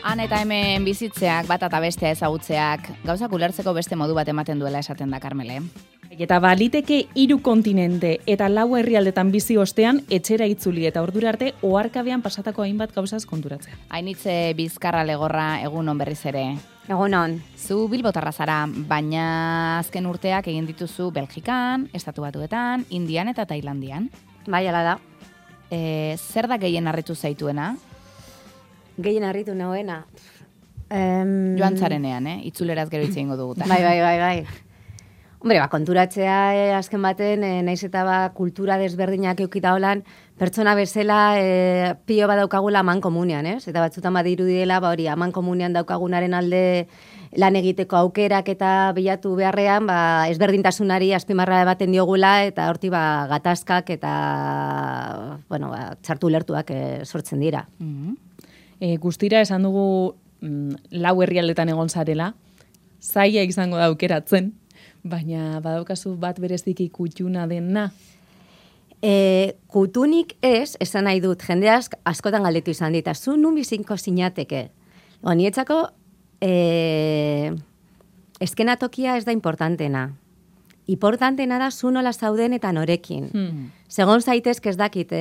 Han eta hemen bizitzeak, bat eta bestea ezagutzeak, gauzak ulertzeko beste modu bat ematen duela esaten da, Karmele. Eta baliteke 3 kontinente eta 4 herrialdetan bizi ostean etxera itzuli eta ordura arte oharkabean pasatako hainbat gauzaz konturatzea. Hainitze Bizkarra Legorra, egun on berriz ere. Egun on. Zu bilbotarra zara, baina azken urteak egin dituzu Belgikan, Estatu Batuetan, Indian eta Tailandian. Bai, ala da. Zer da gehien harritu zaituena? Gehien harritu nauena. Joan zarenean, itzuleraz gero hitz egingo dugu. Bai. Hombre, konturatzea azken baten, naiz eta kultura desberdinak eukita holan, pertsona bezala pio bat daukagula aman komunian, ez? Eta batzutan badirudiela, hori aman komunian daukagunaren alde lan egiteko aukerak eta bilatu beharrean, ezberdintasunari azpimarra baten diogula, eta horti gatazkak eta, txartu lertuak sortzen dira. Guztira esan dugu 4 herrialdetan egon zarela, zaila izango da aukeratzen, baina badaukazu bat bereziki kutxuna dena? Kutunik esan nahi dut, jende askotan galdetu izan dit, zu nun bizinko zinateke. Nietzako, eskenatokia ez da importantena. Importantena da zu nola zauden eta norekin. Segon zaitezke ez dakit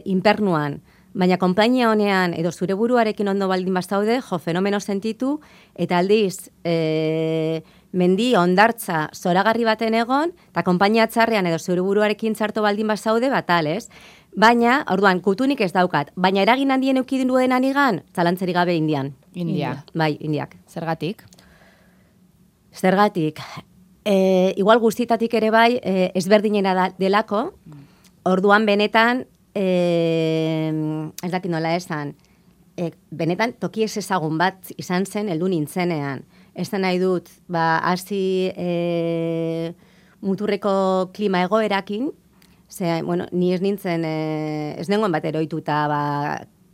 inpernuan, baina konpainia honean edo zure buruarekin ondo baldin bazaude, fenomeno sentitu, eta aldiz, mendi ondartza zoragarri baten egon, eta konpainia txarrean edo zure buruarekin txarto baldin bazaude, batal, ez? Baina, orduan, kutunik ez daukat, baina eragin handien eukidin duen anigan, zalantzeri gabe Indian. India. Bai, Indiak. Zergatik? Igual guztietatik ere bai, ezberdinena delako, orduan benetan, ez dakit nola esan, benetan toki ez ezagun bat izan zen heldu nintzenean. Ez da nahi dut, hasi muturreko klima egoerakin, ni ez nintzen, ez nengoen bat eroituta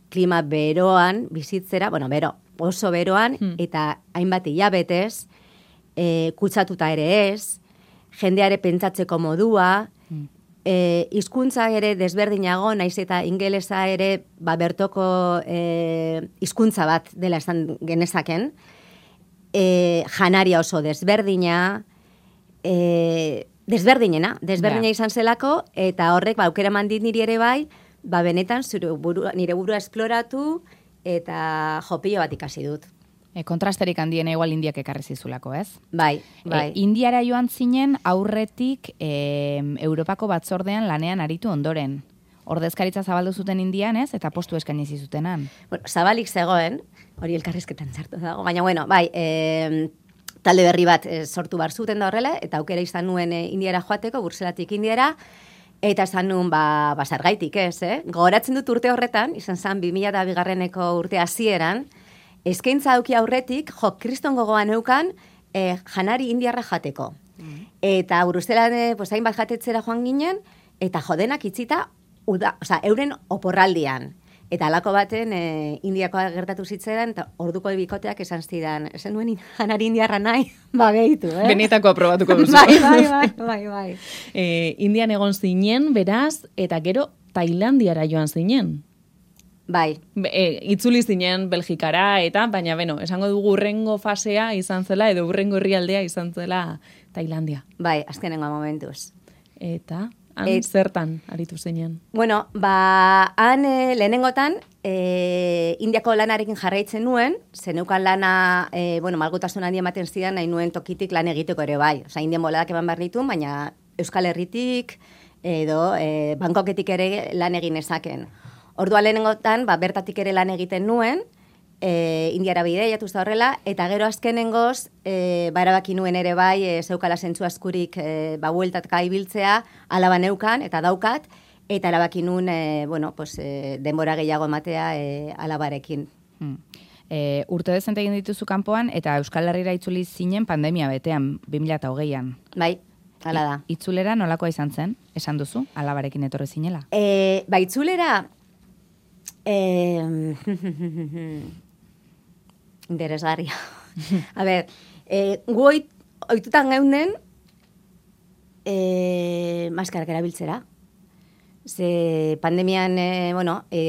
klima beroan bizitzera, oso beroan, eta hainbat hilabetez, kutsatuta ere ez, jendeare pentsatzeko modua, hizkuntza ere desberdinago, naiz eta ingelesa ere bertoko hizkuntza bat dela esan genezaken, janaria oso desberdina, desberdina izan zelako, eta horrek aukera mandit niri ere bai, benetan nire burua esploratu eta jopillo bat ikasi dut. Kontrasterik handiena igual Indiak ekarri zizulako, ez? Bai. Indiara joan zinen aurretik Europako batzordean lanean aritu ondoren. Ordezkaritza zabaldu zuten Indian, ez? Eta postu eskaini zizutenan. Zabalik zegoen, hori elkarrizketan zartu dago, baina, talde berri bat sortu bar zuten da horrela, eta aukera izan nuen Indiara joateko, Bruxelatik Indiara, eta esan nuen, zergaitik ez, Gogoratzen dut urte horretan, izan zen 2002 urte hasieran, eskaintza auki aurretik, kriston gogoan eukan, janari indiarra jateko. Eta Bruselan, hainbat jatetzera joan ginen, eta jodenak itzita, euren oporraldian. Eta alako baten, indiakoa gertatu zitzeran, eta orduko bikoteak esan zidan, esan nuen janari indiarra nahi, behitu, Benetako aprobatuko duzu. Bai. Indian egon zinen, beraz, eta gero Tailandiara joan zinen. Bai. Itzuli zinen Belgikara eta, baina esango dugu urrengo fasea izan zela, edo urrengo herrialdea izan zela Tailandia. Bai, azkenengo momentuz. Eta, zertan aritu zinen? Han lehenengotan, Indiako lanarekin jarraitzen nuen, zeneukan lana, malgutasun handi ematen zidan, nahi nuen tokitik lan egiteko ere bai. Indian boladak eman behar ditun, baina Euskal Herritik, edo Bangkoketik ere lan egin ezaken. Orduan lehenengotan, bertatik ere lan egiten nuen, Indiara bideiatu da horrela, eta gero azkenengoz, erabaki nuen ere bai, zeukala zentzu askurik bueltatka ibiltzea, alaba neukan eta daukat, eta erabaki nuen, denbora gehiago ematea alabarekin. Urte dezente egin dituzu kanpoan, eta Euskal Herrira itzuli zinen pandemia betean, 2008an. Bai. Hala da. Itzulera nolakoa izan zen? Esan duzu, alabarekin etorri zinela? Itzulera, interesgarria. A ber, gu oitutan geunden maskarak erabiltzera. Ze pandemian,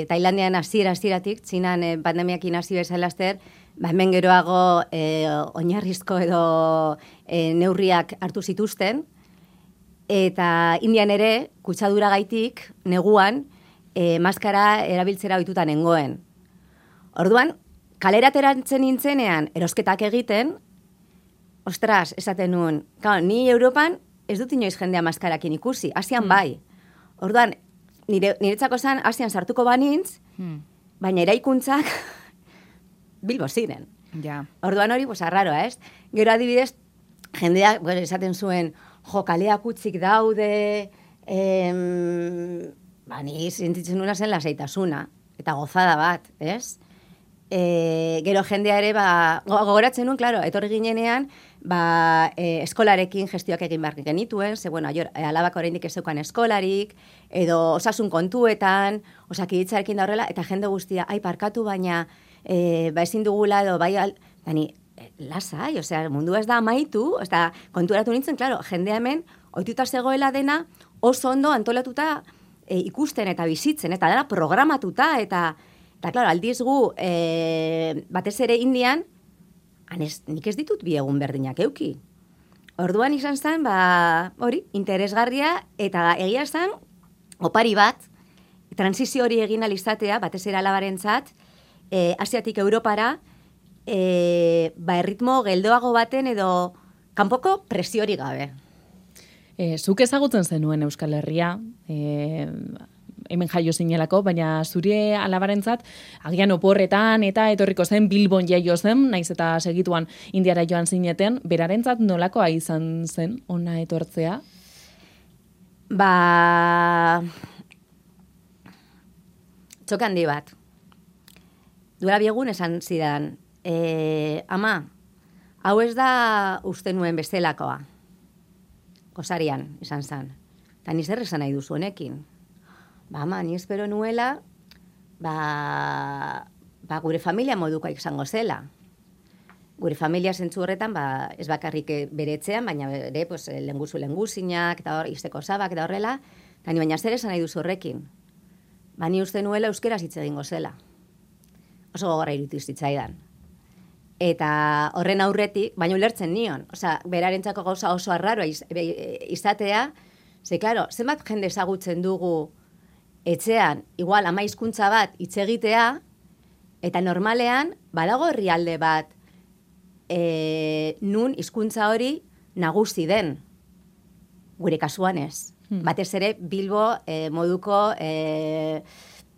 Tailandian hasieratik, Txinan pandemiakin hasi bezala laster, hemen geroago oinarrizko edo neurriak hartu zituzten, eta Indian ere, kutsadura gaitik, neguan, maskara erabiltzera ohituta nengoen. Orduan, kalera ateratzen nintzenean erosketak egiten, ostras, esaten nuen, ni Europan ez dut inoiz jendea maskarakin ikusi, Asian bai. Orduan, niretzako zen Asian sartuko banintz, baina eraikuntzak Bilbo ziren. Ja. Orduan hori, arraroa, ez? Gero adibidez, jendeak, esaten zuen, kaleak utzik daude, ni sentitzen nuna zen lasaitasuna, eta gozada bat, ez? Gero jendea ere, gogoratzen nuen, klaro, etorri ginenean, eskolarekin gestioak egin behar genituen, ze, alabak oraindik ez zeukan eskolarik, edo osasun kontuetan, osakidetzarekin da horrela, eta jende guztia, parkatu baina, ezin dugula edo, lasai, mundua ez da amaitu, konturatu nintzen, klaro, jendea hemen, ohituta zegoela dena, oso ondo antolatuta ikusten eta bizitzen, eta dela programatuta, eta klaro, aldiz gu, batez ere Indian, nik ez ditut bi egun berdinak euki. Orduan izan zen, hori, interesgarria, eta egia zen, opari bat, transizio hori egin alizatea, batez ere alabarentzat, Asiatik Europara, erritmo geldoago baten edo kanpoko presiori gabe. Zuk ezagutzen zenuen Euskal Herria, hemen jaio zinelako, baina zure alabarentzat, agian oporretan eta etorriko zen Bilbon jaio zen, naiz eta segituan Indiara joan zineten, berarentzat nolakoa izan zen ona etortzea? Txoke handi bat. Duela biegun esan zidan, ama, hau ez da uste nuen bestelakoa. Gozarian, izan zen. Eta ni zer esan nahi duzu honekin. Ama, ni espero nuela, gure familia modukoa izango zela. Gure familia zentzu horretan, ez bakarrik beretzean, baina ere, lenguzinak, eta izteko zabak, eta horrela, eta ni baina zer esan nahi duzu horrekin. Ni uste nuela euskeraz hitz egingo zela. Oso gogorra irutu zitzaidan. Eta horren aurretik, baina ulertzen nion. Berarentzako gauza oso arraroa izatea, ze, klaro, zenbat jende ezagutzen dugu etxean, igual, ama hizkuntza bat hitz egitea, eta normalean, badago herrialde bat, nun hizkuntza hori nagusi den, gure kasuan ez. Batez ere, Bilbo moduko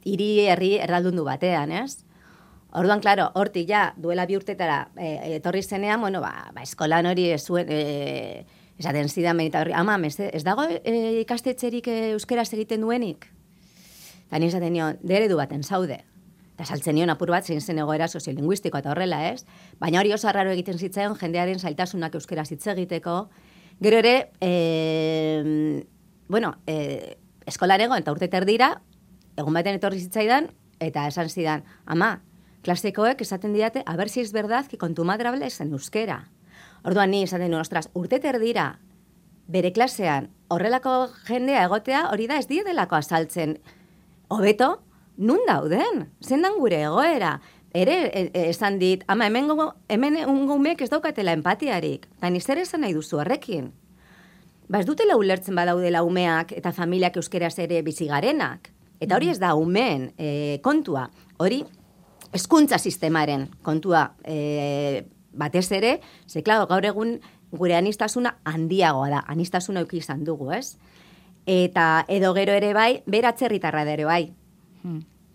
hiri herri erraldundu batean, ez? Orduan, klaro, hortik ja, duela 2 urtetara etorri zenean, eskolan hori zuen, esaten zidan benita horri, ama, ez dago ikastetxerik euskeraz egiten duenik? Eta nien esaten nion, eredu baten zaude. Eta saltzen nion apur bat zein zen egoera soziolinguistikoa eta horrela, ez? Baina hori oso arraro egiten zitzaion jendearen zailtasunak euskeraz hitz egiteko. Gero ere, eskolan egon eta urte terdira, egun baten etorri zitzaidan, eta esan zidan, ama, klasekoek esaten diate, a ver si es verdad que con tu madre hables en euskera. Orduan ni esaten nuen, ostras, urte terdira, bere klasean, horrelako jendea egotea, hori da ez dietelako azaltzen. Hobeto, nun dauden? Zendan gure egoera? Ere, esan dit, ama, hemen ungumek ez daukatela empatiarik. Eta ni zer esan nahi duzu horrekin? Ez dutela ulertzen badaudela umeak eta familiak euskeraz ere bizigarenak. Eta hori ez da umeen kontua. Hori, hezkuntza sistemaren kontua batez ere, ze, klaro, gaur egun gure anistasuna handiagoa da. Anistasuna euki izan dugu, ez? Eta edo gero ere bai, bera atzerritarra ere bai.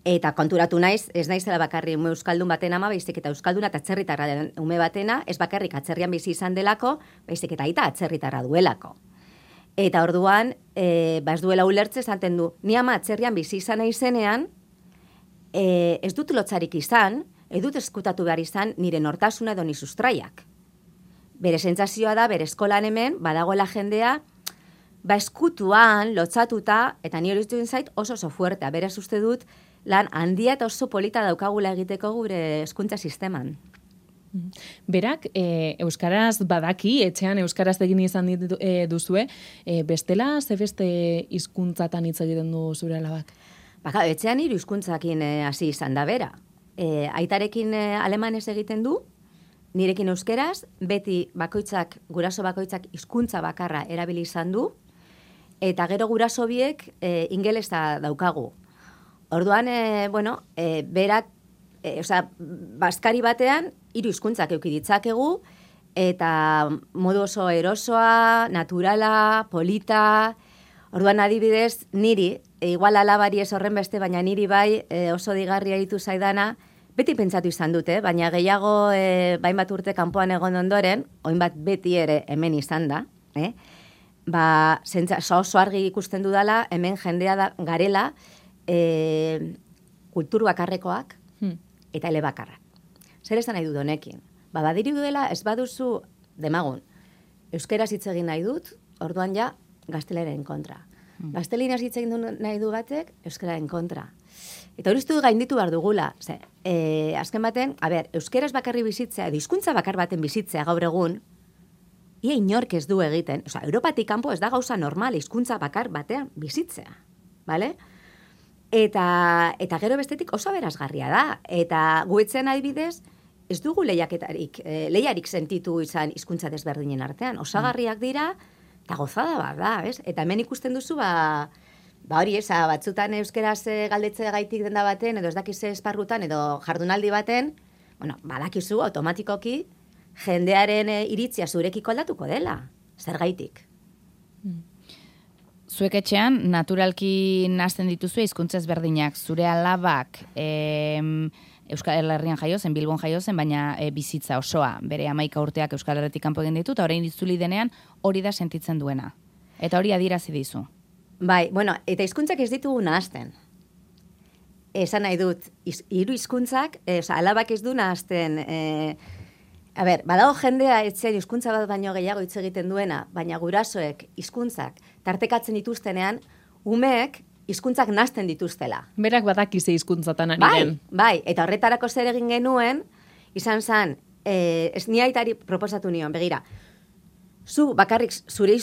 Eta konturatu naiz, ez naizela bakarri ume euskaldun baten ama, baizik eta euskalduna eta atzerritarra den ume batena, ez bakarrik atzerrian bizi izan delako, baizik eta aita atzerritarra duelako. Eta orduan, ez duela ulertze esaten du, ni ama atzerrian bizi izan izenean, ez dut lotzarik izan, ez dut eskutatu behar izan nire nortasuna edo ni sustraiak. Bere sentsazioa da, bere eskolan hemen, badagoela jendea, eskutuan, lotzatuta, eta ni hori duen zait oso fuertea. Beraz uste dut, lan handia eta oso polita daukagula egiteko gure hezkuntza sisteman. Berak, euskaraz badaki, etxean euskaraz egin izan duzue, bestela ze beste hizkuntzatan hitz egiten du zure alabak? Baka, etxean 3 hizkuntzakin hasi izan da bera. Aitarekin alemanez egiten du, nirekin euskeraz, beti guraso bakoitzak hizkuntza bakarra erabili izan du, eta gero guraso biek ingelesa daukagu. Orduan, berak, bazkari batean, 3 hizkuntzak eduki ditzakegu, eta modu oso erosoa, naturala, polita. Orduan adibidez, niri, igual alabari ez horren beste, baina niri bai oso digarria ditu zaidana, beti pentsatu izan dute, baina gehiago bainbat urte kanpoan egon ondoren, oinbat beti ere hemen izan da, oso argi ikusten dudala, hemen jendea garela, kultur bakarrekoak eta elebakarrak. Zer esan nahi dut honekin? Badiri dela ez baduzu demagun. Euskeraz hitz egin nahi dut, orduan ja gazteleren kontra. Gaztelinaz hitz egin nahi du batek, euskararen kontra. Eta hori gainditu behar dugula. Azken baten, euskeraz bakarri bizitzea, edo hizkuntza bakar baten bizitzea gaur egun, ia inork ez du egiten. Europatik kanpo ez da gauza normal, hizkuntza bakar batean bizitzea. Bale? Eta gero bestetik oso berazgarria da. Eta guetzen adibidez, ez dugu lehiarik sentitu izan hizkuntza desberdinen artean. Osagarriak dira, eta gozada bat da, ez? Eta hemen ikusten duzu, hori batzutan euskeraz galdetze gaitik denda baten, edo ez dakize esparrutan, edo jardunaldi baten, badakizu automatikoki jendearen iritzia zurekiko aldatuko dela. Zer gaitik? Zuek etxean, naturalki nazten dituzu hizkuntza ezberdinak, zure alabak Euskal Herrian jaiozen, Bilbon jaiozen, baina bizitza osoa, bere 11 urteak Euskal Herretik kanpo egin ditu, eta orain itzuli denean hori da sentitzen duena. Eta hori adierazi dizu. Bai, eta hizkuntzak ez ditugu nahazten. Esan nahi dut, 3 hizkuntzak, alabak ez du nahazten. Badago jendea etxean hizkuntza bat baino gehiago hitz egiten duena, baina gurasoek hizkuntzak tartekatzen dituztenean, umeek hizkuntzak nazten dituztela. Berak badakize hizkuntzatan ari den. Bai, eta horretarako zer egin genuen, izan zen, ez ni aitari proposatu nion, begira, zu bakarrik zure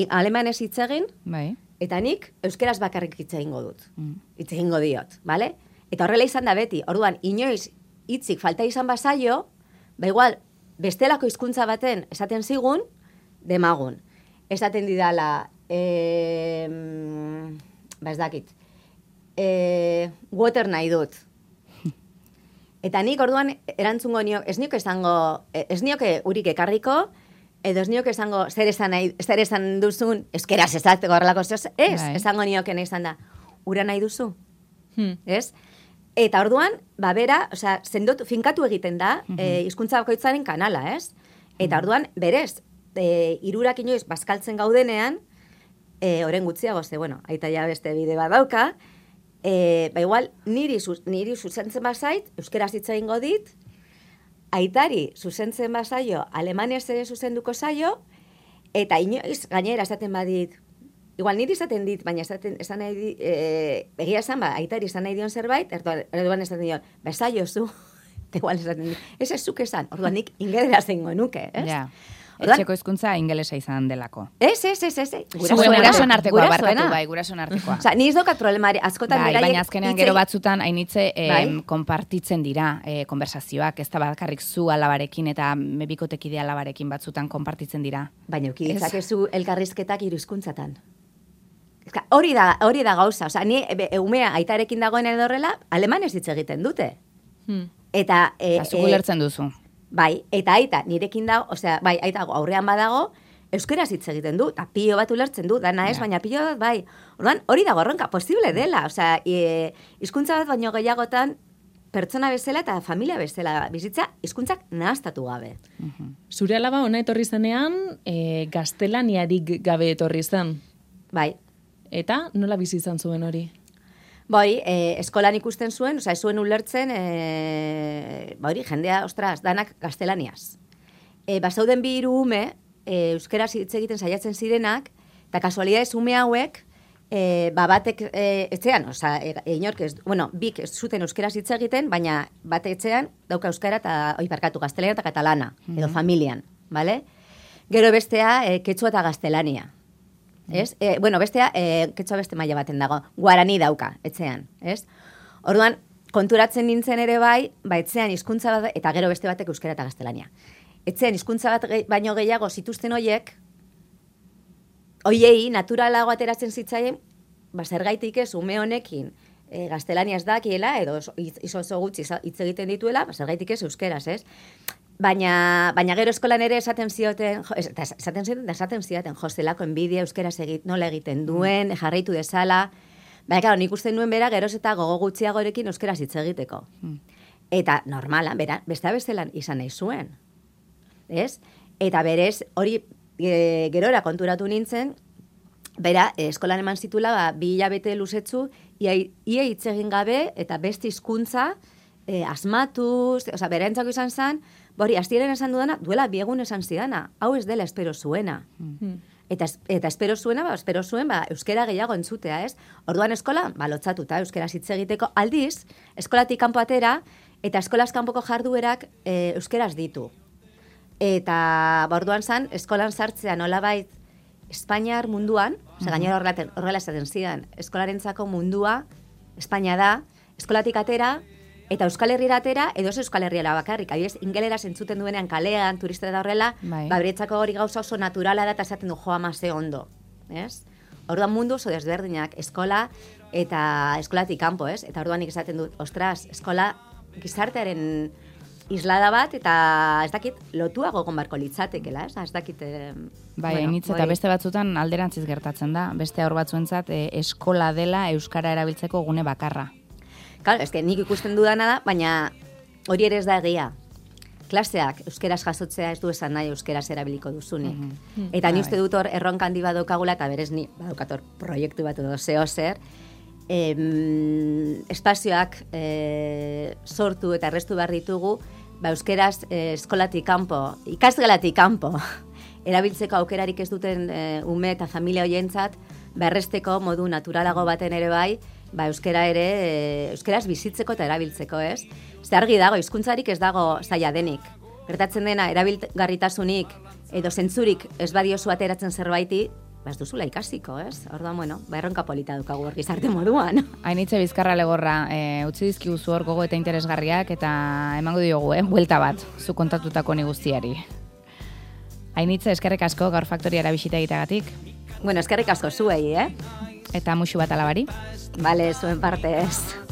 alemanez hitz egin, bai. Eta nik euskeraz bakarrik hitz egingo dut. Hitz egingo diot, bale? Eta horrela izan da beti, orduan, inoiz hitzik falta izan bazaio, igual, bestelako hizkuntza baten esaten zigun, demagun. Esaten didala, ez dakit, water nahi dut. Eta nik orduan erantzungo nio, ez nioke urik ekarriko, edo ez nioke esango zer esan duzun, euskeraz esateko horrelako zehoz, esango nioke nahi izan da, ura nahi duzu, ez? Eta orduan, bera, finkatu egiten da, hizkuntza bakoitzaren kanala, ez? Eta orduan, berez, 3 inoiz bazkaltzen gaudenean, oren gutxiago, aita ja beste bide bat dauka, igual, niri zuzentzen bazait, euskeraz hitz egingo dit, aitari zuzentzen bazaio, alemanez zuzenduko zaio, eta inoiz gainera esaten badit, igual niri esaten dit, baina esan nahi dit, egia esan aitari esan nahi dion zerbait, erduan esaten dion, bezaio zu, igual esaten dit, ez zuk esan, orduan nik ingelera zengo nuke, ez? Ja. Etxeko hizkuntza ingelesa izan delako. Ez. Gurasoen artekoa, barkatu bai, gurasoen artekoa. Ni ez daukat problemari, askotan beraiek... Baina azkenean gero batzutan hainitze konpartitzen dira konversazioak, ez da bakarrik zu alabarekin eta bikotekide alabarekin batzutan konpartitzen dira. Baina uki ditzakezu elkarrizketak 3 hizkuntzatan. Hori da gauza, ni umea aitarekin dagoen edo horrela, alemanez hitz egiten dute. Eta... Zuk ulertzen duzu. Bai, eta aita, nirekin dago, aita aurrean badago, euskeraz hitz egiten du, eta pilo bat ulertzen du, dana ez, baina pilo bat, bai. Orduan, hori dago erronka, posible dela, hizkuntza bat baino gehiagotan, pertsona bezala eta familia bezala bizitza, hizkuntzak nahaztatu gabe. Zure alaba ona etorri zenean, gaztelaniarik gabe etorri zen. Bai. Eta nola bizi izan zuen hori? Bai, eskolan ikusten zuen, ez zuen ulertzen, hori, jendea, ostras, danak gaztelaniaz. Bazauden 2 ume, euskeraz hitz egiten saiatzen zirenak, eta kasualidadez ume hauek, batek etxean, inork ez, bik ez zuten euskeraz hitz egiten, baina bate etxean dauka euskara eta gaztelania eta katalana, edo familian, bale? Gero bestea, ketsua eta gaztelania. Ez? Bestea, ketsua beste maila baten dago, guarani dauka, etxean, ez? Orduan, konturatzen nintzen ere bai, etxean hizkuntza bat, eta gero beste batek euskara eta gaztelania. Etxean hizkuntza bat baino gehiago zituzten hoiei, naturalago ateratzen zitzaien, zergaitik ez, ume honekin, gaztelania ez dakiela, edo izo gutxi hitz egiten dituela, zergaitik ez euskeraz, ez? Baina gero eskolan ere esaten zidaten, zelako enbidia euskeraz nola egiten duen, jarraitu dezala. Baina, nik uste nuen bera, geroz eta gogo gutxiagorekin euskeraz hitz egiteko. Eta normala, beste bestelan izan nahi zuen. Ez? Eta berez, hori gerora konturatu nintzen, bera, eskolan eman zitula, 2 hilabete luzetzu, ia hitz egin gabe, eta beste hizkuntza asmatuz, bera entzako izan zen, astiren esan dudana, duela 2 egun esan zidana, hau ez dela espero zuena. Eta espero zuena, euskera gehiago entzutea, ez? Orduan eskola, lotzatuta, euskera hitz egiteko, aldiz, eskolatik kanpo atera, eta eskolaz kanpoko jarduerak euskeraz ditu. Eta orduan zan, eskolan sartzea nolabait Espainiar munduan, gainera horrela esaten zidan, eskolarentzako mundua, Espainia da, eskolatik atera, eta Euskal Herriera atera, edo Euskal Herriera bakarrik. Adibidez, ingeleraz entzuten duenean kalean, turistera da horrela, beretzako hori gauza oso naturala da, eta esaten du joa ze ondo. Orduan mundu oso desberdinak, eskola eta eskolatik kanpo, ez? Eta orduan nik esaten dut, ostras, eskola gizartearen islada bat, eta ez dakit, lotuago egon barko litzatekela, ez dakit... Hainitz eta beste batzutan alderantziz gertatzen da, beste aur batzuentzat eskola dela euskara erabiltzeko gune bakarra. Claro, nik ikusten dudana da, baina hori ere ez da egia. Klaseak euskeraz jasotzea ez du esan nahi euskeraz erabiliko duzunik. Eta ni uste dut hor erronka handi bat daukagula, eta berez ni badaukator proiektu bat edo zer, espazioak sortu eta errestu behar ditugu, euskeraz eskolatik kanpo, ikasgelatik kanpo, erabiltzeko aukerarik ez duten ume eta familia hoientzat, erresteko modu naturalago baten ere bai, euskeraz bizitzeko eta erabiltzeko, ez? Zer argi dago, hizkuntzarik ez dago zaila denik. Gertatzen dena, erabilgarritasunik edo zentzurik ez badiozu ateratzen zerbaiti, ez duzula ikasiko, ez? Orduan, erronka polita dukagu hor gizarte moduan. Hainitze Bizkarra Legorra, utzi dizkiguzu hor gogo eta interesgarriak, eta emango diogu, buelta bat, zu kontatutako ni guztiari. Hainitze, eskerrik asko gaur faktoriara bisita egiteagatik. Eskerrik asko zuei, Eta musu bat alabari. Bale, zuen partez.